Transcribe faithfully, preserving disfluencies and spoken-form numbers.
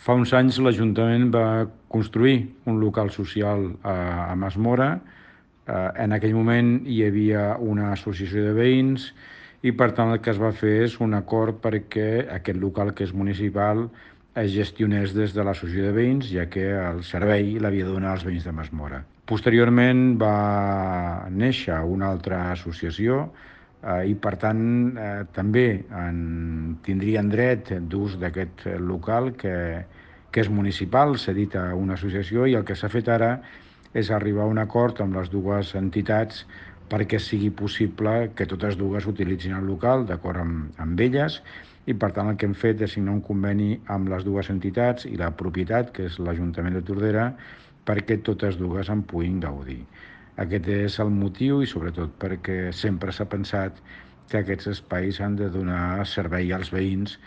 Fa uns anys l'Ajuntament va construir un local social a, a Masmora. Eh, en aquell moment hi havia una associació de veïns i per tant el que es va fer és un acord perquè aquest local, que és municipal, es gestionés des de l'associació de veïns, ja que el servei l'havia de donar als veïns de Masmora. Posteriorment va néixer una altra associació eh, i per tant eh, també en, tindrien dret d'ús d'aquest local que, que és municipal, cedit a una associació, i el que s'ha fet ara és arribar a un acord amb les dues entitats perquè sigui possible que totes dues utilitzin el local d'acord amb, amb elles, i per tant el que hem fet és signar un conveni amb les dues entitats i la propietat, que és l'Ajuntament de Tordera, perquè totes dues en puguin gaudir. Aquest és el motiu, i sobretot perquè sempre s'ha pensat que aquests espais han de donar servei als veïns